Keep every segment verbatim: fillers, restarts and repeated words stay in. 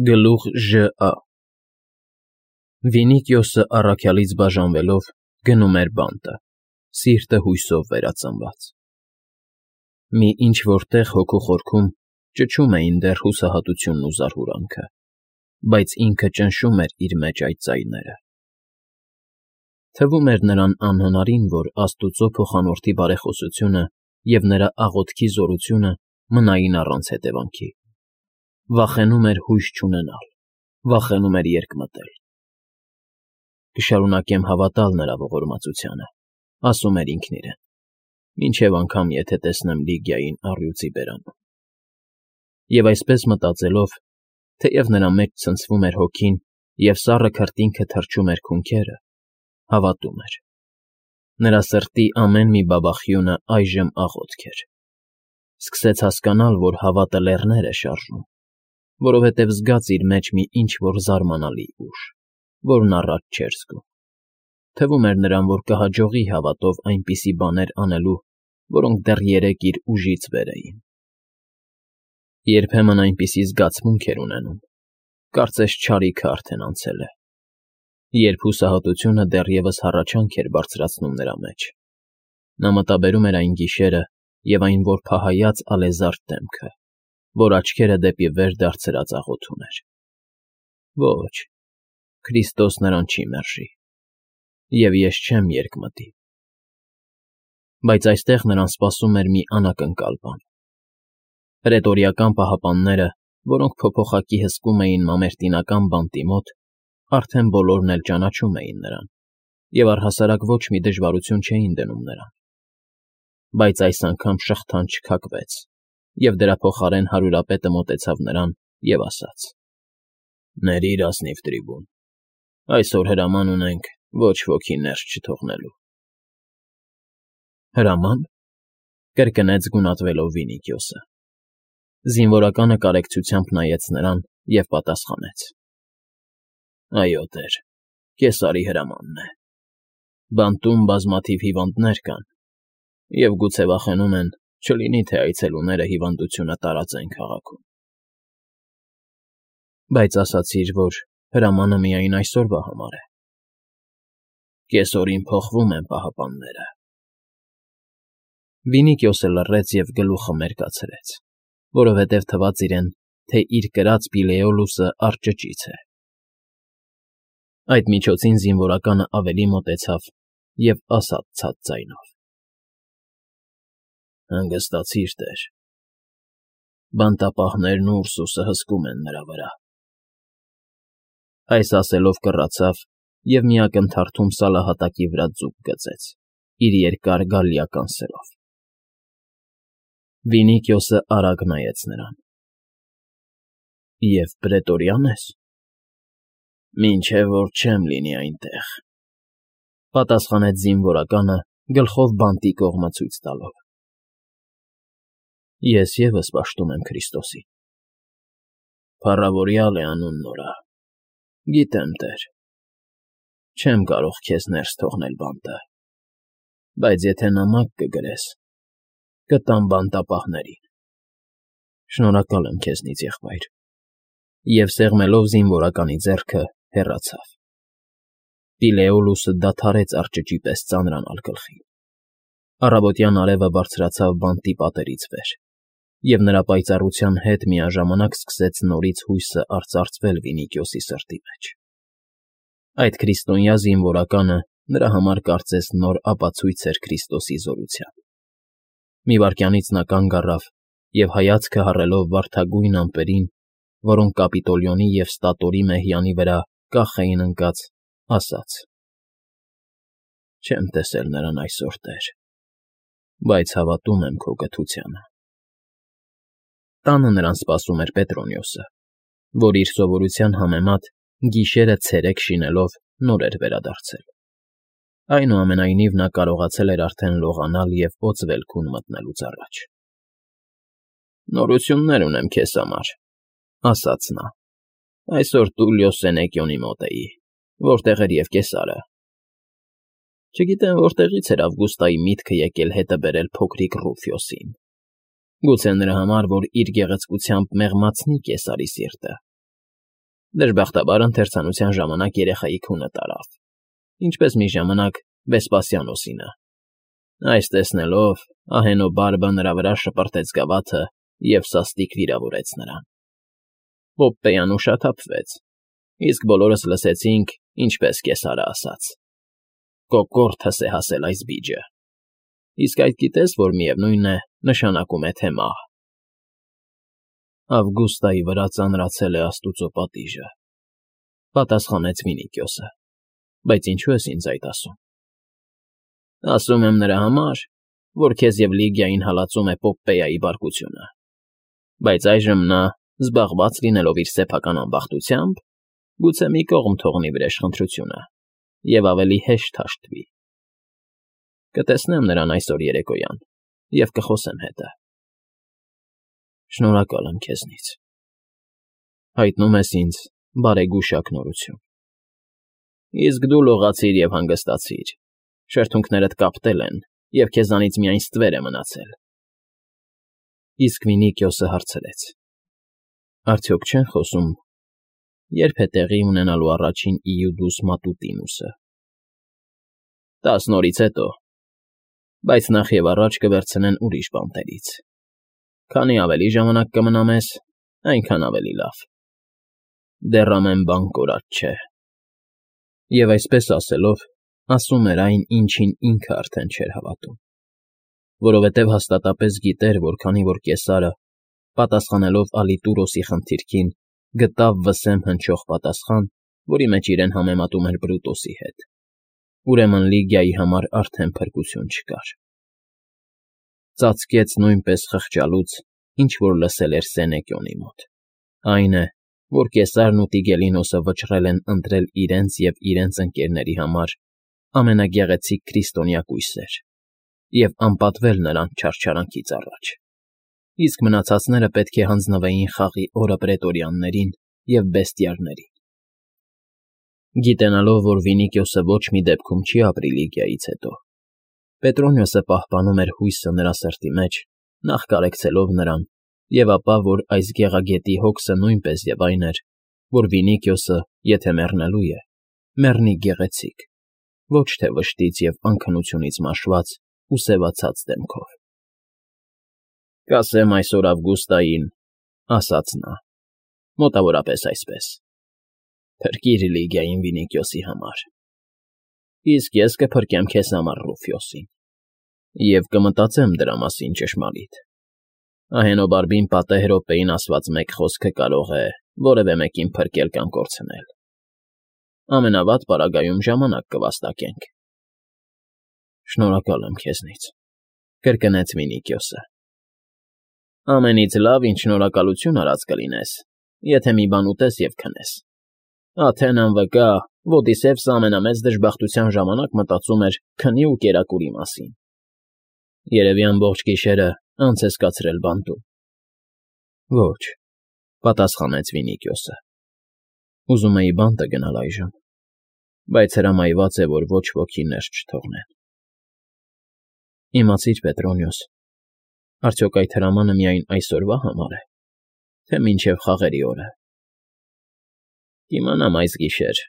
Գլուխ Ժ.Ա. Վինիքիոսը առաքյալից բաժանվելով գնում էր բանտը, սիրտը հույսով վերածնված. մի ինչ֊որ տեղ հոգու խորքում ճչում էին դեռ հուսահատությունն ու զարհուրանքը, բայց ինքը ճնշում էր իր մեջ այդ ձայները։ Թվում էր նրան անհնարին, որ աստուծո փոխանորդի բարեխոսությունը և նրա աղոթքի զորությունը մնային առանց հետևանքի։ Վախենում էր հույս չունենալ, վախենում էր երկմտել։ «Կշարունակեմ հավատալ նրա ողորմածությանը», ասում էր ինքն իրեն, մինչև անգամ եթե տեսնեմ Լիգիային առյուծի բերանում։ Եվ այսպես մտածելով, թեև նրա մեջ ցնցվում էր հոգին և սառը քրտինքը թրջում էր քունքերը, հավատում էր։ Նրա սրտի ամեն մի բաբախյունը այժմ աղոթք էր։ Սկսեց հասկանալ, որ հավատը լեռներ է շարժում, որովհետև զգաց իր մեջ մի ինչ֊որ զարմանալի ուժ, որն առաջ չէր զգում։ Թվում էր նրան, որ կհաջողի հավատով այնպիսի բաներ անելու, որոնք դեռ երեկ իր ուժից վեր էին։ Երբեմն այնպիսի զգացմունք էր ունենում, կարծես չարիքը արդեն անցել է, երբ հուսահատությունը դեռևս հառաչանք էր բարձրացնում նրա մեջ։ Նա մտաբերում էր այն գիշերը և այն որփահայաց ալեզարդ դեմքը, որ աչքերը դեպի վեր դարձրած աղոթում էր. «Ոչ, Քրիստոս նրան չի մերժի, և ես չեմ երկմտի»։ Բայց այստեղ նրան սպասում էր մի անակնկալ բան։ Պրետորիական պահապանները, որոնք փոփոխակի հսկում էին մամերտինական բանտի մոտ, արդեն բոլորն էլ ճանաչում էին նրան և առհասարակ ոչ մի դժվարություն չէին դնում նրան։ Բայց այս անգամ շղթան չքակվեց, և դրա փոխարեն հարյուրապետը մոտեցավ նրան և ասաց. «Ներիր, ազնիվ трибուն, այսօր հրաման ունենք ոչ ոքի ներս չթողնելու»։ «Հրաման», կրկնեց գունատվելով Վինիքիոսը։ Զինվորականը կարեկցությամբ նայեց նրան և պատասխանեց. «Այո, տեր, կեսարի հրամանն է։ Բանտում բազմաթիվ հիվանդներ կան, և գուցե վախենում են, չլինի թե այցելուները հիվանդությունը տարածեն քաղաքում»։ «Բայց ասացիր, որ հրամանը միայն այսօրվա համար է»։ «Կեսօրին փոխվում են պահապանները»։ Վինիքիոսը լռեց և գլուխը մերկացրեց, որովհետև թվաց իրեն, թե իր կրած Պիլեոլուսը արճճից է։ Այդ միջոցին զինվորականը ավելի մոտեցավ և ասաց ցած ձայնով. «Հանգստացիր, տեր, բանտապահներն ու Ուրսուսը հսկում են նրա վրա»։ Այս ասելով կռացավ և մի ակնթարթում սալահատակի վրա ձուկ գծեց իր երկար գալլիական սրով։ Վինիքիոսը արագ նայեց նրան. «Եվ պրետորիա՞ն ես»։ «Մինչև որ չեմ լինի այնտեղ», պատասխանեց զինվորականը գլխով բանտի կողմը ցույց տալով։ «Ես ևս պաշտում եմ Քրիստոսին»։ «Փառավորյալ է անուն նորը, գիտեմ, տեր։ Չեմ կարող քեզ ներս թողնել բանտը, բայց եթե նամակ կգրես, կտամ բանտապահներին»։ «Շնորհակալ եմ քեզնից, եղբայր», և սեղմելով զինվորականի ձեռքը, հեռացավ։ Պիլեոլուսը դադարեց արճճի պես ծանրանալ գլխին։ Առավոտյան արևը բարձրացավ բանտի պատերից վեր, և նրա պայծառության հետ միաժամանակ սկսեց նորից հույսը արծարծվել Վինիքիոսի սրտի մեջ։ Այդ քրիստոնյա զինվորականը նրա համար կարծես նոր ապացույց էր Քրիստոսի զորության։ Մի վայրկյանից նա կանգ առավ և հայացքը հառելով վարդագույն ամպերին, որոնք Կապիտոլիոնի և Ստատորի մեհյանի վրա կախ էին ընկած, ասաց. «Չեմ տեսել նրան այսօր, տեր, բայց հավատում եմ քո կթությանը»։ Տանը նրան սպասում էր Պետրոնիոսը, որ իր սովորության համեմատ գիշերը ցերեկ շինելով նոր էր վերադարձել։ Այնուամենայնիվ նա կարողացել էր արդեն լողանալ և օձ ելքուն մտնելուց առաջ։ «Նորություններ ունեմ քեզ համար», ասաց նա։ «Այսօր Տուլիո Սենեկիոնի մոտ էի, որտեղ էր և կեսարը։ Չգիտեմ որտեղից էր Ավգուստայի միտքը եկել հետը բերել փոքրիկ Ռուֆյոսին։ Գուցե նրա համար, որ իր գեղեցկությամբ մեղմացնի կեսարի սիրտը։ Դժբախտաբար ընթերցանության ժամանակ երեխայի քունը տարավ, ինչպես մի ժամանակ Վեսպասիանոսինը։ Այս տեսնելով ահենո բարբը նրա վրա շպրտեց գավաթը և սաստիկ վիրավորեց նրան։ Պոպպեյան ուշաթափվեց, իսկ բոլորս լսեցինք, ինչպես կեսարը ասաց. «Կոկորդս է հասել այս բիջը», իսկ այդ գիտես, որ միևնույն է, նշանակում է, թե մահ։ Ավգուստայի վրա ծանրացել է աստուծո պատիժը, պատասխանեց Վինիկիոսը, բայց ինչու ես ինձ այդ ասում։ Ասում եմ նրա համար, որ քեզ և Լիգիային հալածում է Պոպպեայի բարկությունը, բայց այժմ նա, զբաղված լինելով իր սեփական ամբախտությամբ, գուցե մի կողմ թողնի վրեժխնդրությունը և ավելի հեշտ հաշտվի։ Կտեսնեմ նրան այսօր երեկոյան և կխոսեմ հետը։ Շնորհակալ եմ քեզնից։ Հայտնում ես ինձ բարեգուշակ նորություն։ Իսկ դու լողացիր և հանգստացիր, շրթունքներդ կապտել են, և քեզանից միայն ստվեր է մնացել։ Իսկ Վինիկիոսը հարցրեց. Արդյոք չեն խոսում, երբ է տեղի ունենալու առաջին Իուդուս Մատուտինուսը։ Տասն օրից հետո, բայց նախ և առաջ կվերցնեն ուրիշ բանտերից։ Քանի ավելի ժամանակ կմնա մեզ, այնքան ավելի լավ։ Դեռ ամեն բան կորած չէ։ Եվ այսպես ասելով, ասում էր այն, ինչին ինքը արդեն չէր հավատում, որովհետև հաստատապես գիտեր, որ քանի որ Կեսարը, պատասխանելով Ալիտուրոսի խնդիրքին, գտավ վսեմ հնչող պատասխան, որի մեջ իրեն համեմատում էր Բրուտոսի հետ, ուրեմն Լիգիայի համար արդեն փրկություն չկար։ Ծածկեց նույնպես խղճալուց, ինչ որ լսել էր Սենեկիոնի մոտ, այն է, որ Կեսարն ու Տիգելինոսը վճռել են ընտրել իրենց և իրենց ընկերների համար ամենագեղեցիկ քրիստոնյա կույսեր և անպատվել նրան չարչարանքից առաջ, իսկ մնացածները պետք է հանձնվեին խաղի օրը պրետորյաններին և բեստիարներին։ Գիտենալով, որ Վինիկիոսը ոչ մի դեպքում չի ապրի Լիգիայից հետո, Պետրոնիոսը պահպանում էր հույսը նրա սրտի մեջ, նախ կարեկցելով նրան, և ապա, որ այս գեղագետի հոգսը նույնպես և այն էր, որ Վինիկիոսը, եթե մեռնելու է, մեռնի գեղեցիկ, ոչ թե վշտից և անքնությունից մաշված ու սևացած դեմքով։ Կասեմ այսօր Ավգուստային, ասաց նա, մոտավորապես այսպես. Փրկիր Լիգիային Վինիկիոսի համար, իսկ ես կփրկեմ քեզ համար Ռուֆիոսին, և կմտածեմ դրա մասին ճշմարիտ։ Ահենոբարբին պատեհ րոպեին ասված մեկ խոսքը կարող է որևէ մեկին փրկել կամ կորցնել։ Ամենավատ պարագայում ժամանակ կվաստակենք։ Շնորհակալ եմ քեզնից, կրկնեց Վինիկիոսը։ Ամենից լավ, ինչ շնորհակալություն արած կլինես, եթե մի բան ուտես և քնես։ Աթենան վկա, Ոդիսևսը ամենամեծ դժբախտության ժամանակ մտածում էր քնի ու կերակուրի մասին։ Երևի ամբողջ գիշերը անց ես կացրել բանտում։ Ոչ, պատասխանեց Վինիկիոսը։ Ուզում էի բանտը գնալ այժմ, բայց հրամայված է, որ ոչ ոքի ներս չթողնեն։ Իմացիր, Պետրոնիոս, արդյոք այդ հրամանը միայն այսօրվա համար է, թե մինչև խաղերի օրը։ Կիմանամ այս գիշեր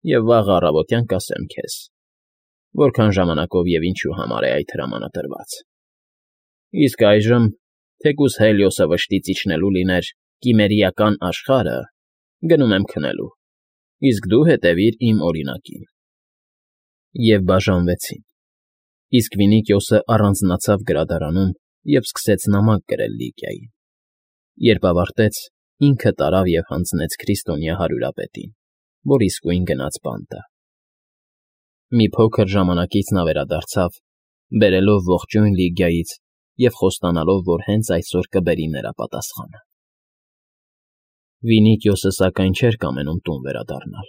և վաղը առավոտյան կասեմ քեզ, որքան ժամանակով և ինչու համար է այդ հրամանը տրված։ Իսկ այժմ, թեկուզ Հելիոսը վշտից իջնելու լիներ կիմերիական աշխարհը, գնում եմ քնելու, իսկ դու հետևիր իմ օրինակին։ Եվ բաժանվեցին, իսկ Վինիկիոսը առանձնացավ գրադարանում և սկսեց նամակ գրել Լիգիային։ Երբ ավարտեց, ինքը տարավ և հանձնեց քրիստոնյա հարյուրապետին, որ իսկույն գնաց բանտը։ Մի փոքր ժամանակից նա վերադարձավ, բերելով ողջույն Լիգիայից և խոստանալով, որ հենց այսօր կբերի նրա պատասխանը։ Վինիկիոսը սակայն չէր կամենում տուն վերադառնալ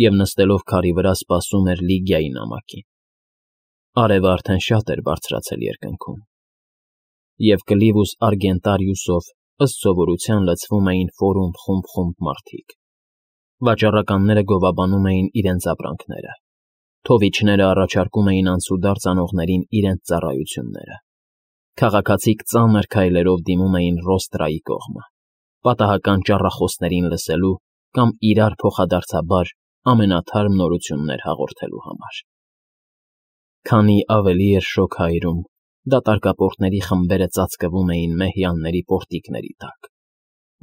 և նստելով քարի վրա սպասում էր Լիգիայի նամակին։ Արևը արդեն շատ էր բարձրացել երկնքում, և Կլիվուս Արգենտարիուսով ըստ սովորության լցվում էին ֆորում խումբ֊խումբ մարդիկ։ Վաճառականները գովաբանում էին իրենց ապրանքները, թովիչները առաջարկում էին անցուդարձ անողներին իրենց ծառայությունները, քաղաքացիք ծանր քայլերով դիմում էին Ռոստրայի կողմը, պատահական ճառախոսներին լսելու կամ իրար փոխադարձաբար ամենաթարմ նորություններ հաղորդելու համար։ Քանի ավելի էր շոգ հայրում, դատարկապորտների խմբերը ծածկվում էին մեհյանների պորտիկների տակ,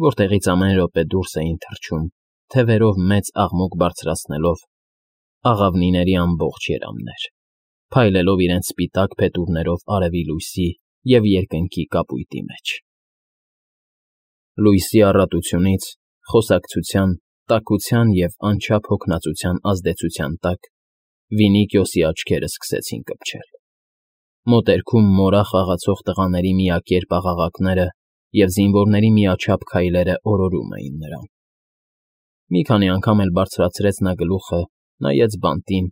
որտեղից ամեն րոպե դուրս էին թռչում, թևերով մեծ աղմուկ բարձրացնելով, աղավնիների ամբողջ երամներ, փայլելով իրենց սպիտակ փետուրներով արևի լույսի և երկնքի կապույտի մեջ։ Լույսի առատությունից, խոսակցության, տաքության և անչափ հոգնածության ազդեցության տակ Վինիկիոսի աչքերը սկսեցին կպչել։ Մոտերքում մորախ աղացող տղաների միակերպ աղաղակները և զինվորների միաչափ քայլերը օրորում էին նրան։ Մի քանի անգամ էլ բարձրացրեց նա գլուխը, նայեց բանտին,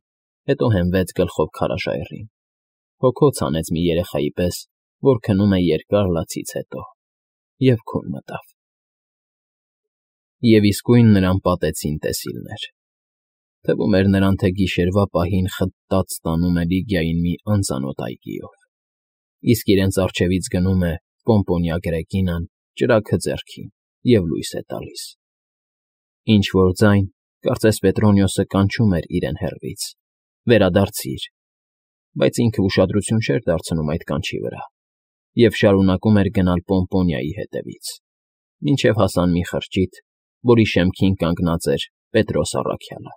հետո հենվեց գլխով քարաժայռին, հոգոց հանեց մի երեխայի պես, որ քնում է երկար լացից հետո, և քուն մտավ։ Եվ իսկույն նրան պատեցին տեսիլներ։ Թվում էր նրան, թե գիշերվա պահին խտտած տանում է Լիգիային մի անծանոթ այգիով, իսկ իրենց առջևից գնում է Պոմպոնիա Գրեկինան, ճրագը ձեռքին, և լույս է տալիս։ Ինչ֊որ ձայն, կարծես Պետրոնիոսը կանչում էր իրեն հեռվից. «Վերադարձի՛ր», բայց ինքը ուշադրություն չէր դարձնում այդ կանչի վրա և շարունակում էր գնալ Պոմպոնիայի հետևից, մինչև հասան մի խրճիթ, որի շեմքին կանգնած էր Պետրոս առաքյալը։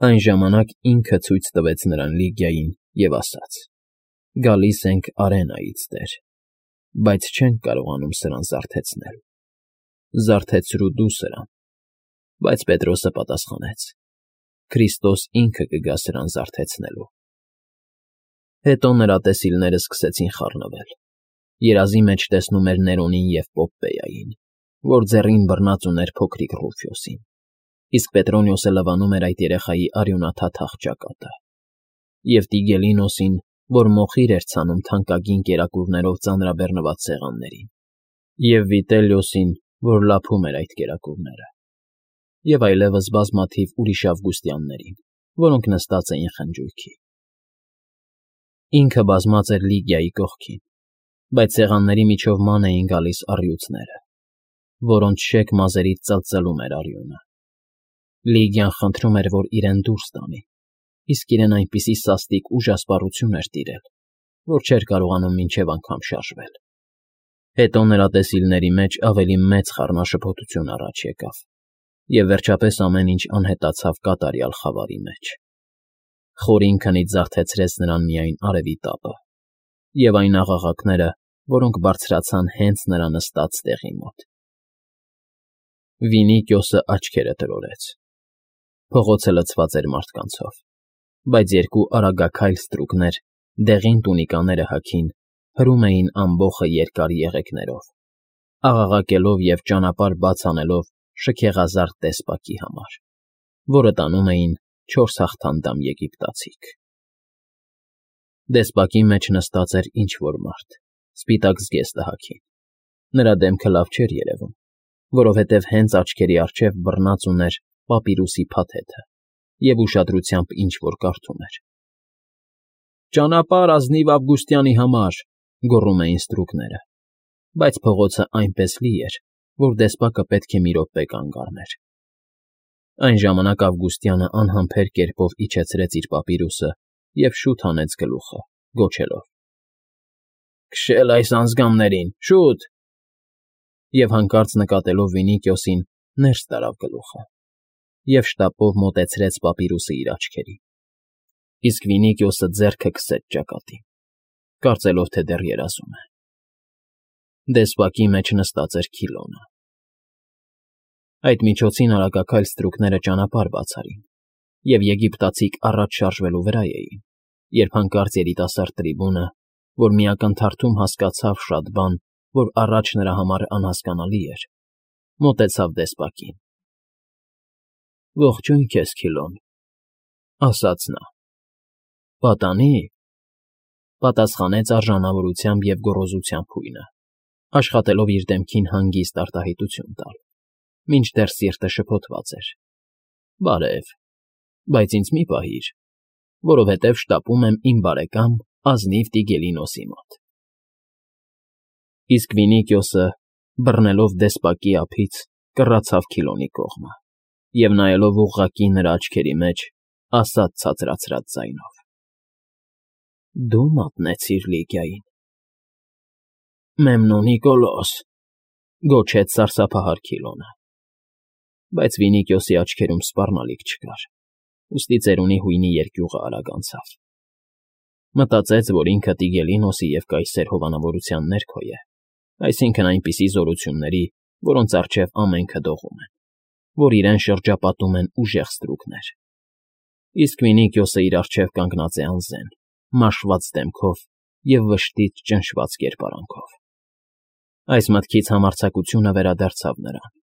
Այն ժամանակ ինքը ցույց տվեց նրան Լիգիային և ասաց. «Գալիս ենք Արենայից, տեր, բայց չենք կարողանում սրան զարթեցնել»։ «Զարթեցրու դու սրան»։ Բայց Պետրոսը պատասխանեց. «Քրիստոս ինքը կգա սրան զարթեցնելու»։ Հետո նրա տեսիլները սկսեցին խառնվել։ Երազի մեջ տեսնում էր Ներոնին և Պոպպեյային, որ ձեռին բռնած ուներ փոքրիկ Ռուֆյոսին, իսկ Պետրոնիոսը լվանում էր այդ երեխայի արյունաթաթախ ճակատը, և Տիգելինոսին, որ մոխիր էր ցանում թանկագին կերակուրներով ծանրաբեռնված սեղաններին, և Վիտելիոսին, որ լափում էր այդ կերակուրները, և այլևս բազմաթիվ ուրիշ Ավգուստյաններին, որոնք նստած էին խնջույքի։ Ինքը բազմած էր Լիգիայի կողքին, բայց սեղանների միջով ման էին գալիս առյուծները, որոնց շեք մազերից ծլծլում էր արյունը։ Լիգիան խնդրում էր, որ իրեն դուրս տանի, իսկ իրեն այնպիսի սաստիկ ուժասպառություն էր տիրել, որ չէր կարողանում մինչև անգամ շարժվել։ Հետո նրա տեսիլների մեջ ավելի մեծ խառնաշփոթություն առաջ եկավ, և վերջապես ամեն ինչ անհետացավ կատարյալ խավարի մեջ։ Խորին քնից զարթեցրեց նրան միայն արևի տապը և այն աղաղակները, որոնք բարձրացան հենց նրա նստած տեղի մոտ։ Վինիկիոսը աչքերը տրորեց։ Փողոցը լցված էր մարդկանցով, բայց երկու արագաքայլ ստրուկներ, դեղին տունիկաները հագին, հրում էին ամբոխը երկար եղեգներով, աղաղակելով և ճանապարհ բաց անելով շքեղազարդ դեսպակի համար, որը տանում էին չորս հաղթանդամ եգիպտացիք։ Դեսպակի մեջ նստած էր ինչ֊որ մարդ, սպիտակ զգեստը հագին։ Նրա դեմքը լավ չէր երևում, որովհետև հենց աչքերի առջև բռնած ուներ պապիրուսի փաթեթը և ուշադրությամբ ինչ֊որ կարդում էր։ «Ճանապարհ ազնիվ Ավգուստյանի համար», գոռում էին ստրուկները, բայց փողոցը այնպես լի էր, որ դեսպակը պետք է մի րոպե կանգ առներ։ Այն ժամանակ Ավգուստյանը անհամբեր կերպով իջեցրեց իր պապիրուսը և շուտ հանեց գլուխը, գոչելով. «Քշել այս անձգամներին, շուտ»։ Եվ հանկարծ նկատելով Վինիկիոսին, ներս տարավ գլուխը և շտապով մոտեցրեց պապիրուսը իր աչքերին, իսկ Վինիկիոսը ձեռքը քսեց ճակատին, կարծելով, թե դեռ երազում է։ Դեսպակի մեջ նստած էր Քիլոնը։ Այդ միջոցին արագաքայլ ստրուկները ճանապարհ բաց արին, և եգիպտացիք առաջ շարժվելու վրա էին, երբ հանկարծ երիտասարդ трибունը, որ մի ակնթարթում հասկացավ շատ բան, որ առաջ նրա համար անհասկանալի էր, մոտեցավ դեսպակին։ «Ողջույն քեզ, Քիլոն», ասաց նա։ «Պատանի՞», պատասխանեց արժանավորությամբ և գոռոզությամբ հույնը, աշխատելով իր դեմքին հանգիստ արտահայտություն տալ, մինչդեռ սիրտը շփոթված էր։ «Բարև, բայց ինձ մի պահիր, որովհետև շտապում եմ իմ բարեկամ ազնիվ Տիգելինոսի մոտ»։ Իսկ Վինիկիոսը, բռնելով դեսպակի ափից, կռացավ Քիլոնի կողմը և, նայելով ուղղակի նրա աչքերի մեջ, ասաց ցածրացրած ձայնով. ֊ Դու մատնեցիր Լիգիային։ Մեմնո Նիկոլոս,֊ գոչեց սարսափահար Քիլոնը, բայց Վինիքիոսի աչքերում սպառնալիք չկար, ուստի ծերունի հույնի երկյուղը արագ անցավ. մտածեց, որ ինքը Տիգելինոսի և կայսեր հովանավորության ներքո է, այսինքն՝ այնպիսի զորությունների, որոնց առջև ամենքը դողում են, որ իրեն շրջապատում են ուժեղ ստրուկներ, իսկ Վինիքիոսը իր առջև կանգնած է անզեն, մաշված դեմքով և վշտից ճնշված կերպարանքով։ Այս մտքից համարձակությունը վերադարձավ նրան,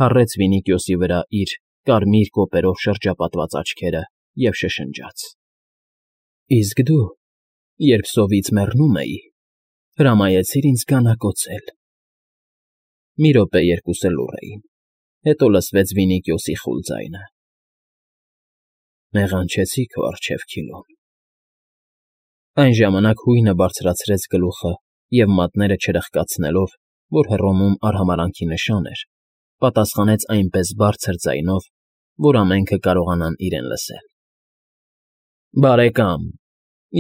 հառեց Վինիքիոսի վրա իր կարմիր կոպերով շրջապատված աչքերը և շշնջաց. ֊ Իսկ դու, երբ սովից մեռնում էի, հրամայեցիր ինձ գանակոծել… Մի րոպե երկուսը լուռ էին, հետո լսվեց Վինիքիոսի խուլ ձայնը. ֊ Մեղանչեցի քո առջև, Քիլոն… Այն ժամանակ հույնը բարձրացրեց գլուխը և, մատները չրխկացնելով, որ Հռոմում արհամարհանքի նշան էր, պատասխանեց այնպես բարձր ձայնով, որ ամենքը կարողանան իրեն լսել. ֊ Բարեկամ,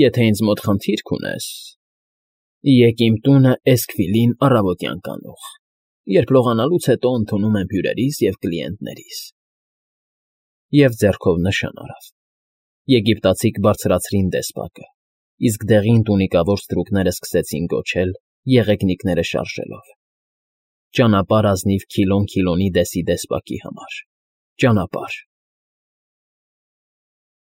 եթե ինձ մոտ խնդիր կունես, եկ իմ տունը Էսքվիլին առավոտյան կանուխ, երբ լողանալուց հետո ընդունում եմ հյուրերիս և կլիենտներիս… Եվ ձեռքով նշան արավ. եգիպտացիք բարձրացրին դեսպակը, իսկ դեղին տունիկավոր ստրուկները սկսեցին գոչել, եղեգնիկները շարժելով. «Ճանապարհ ազնիվ Քիլոն Քիլոնի դեսի դեսպակի համար… Ճանապարհ…»։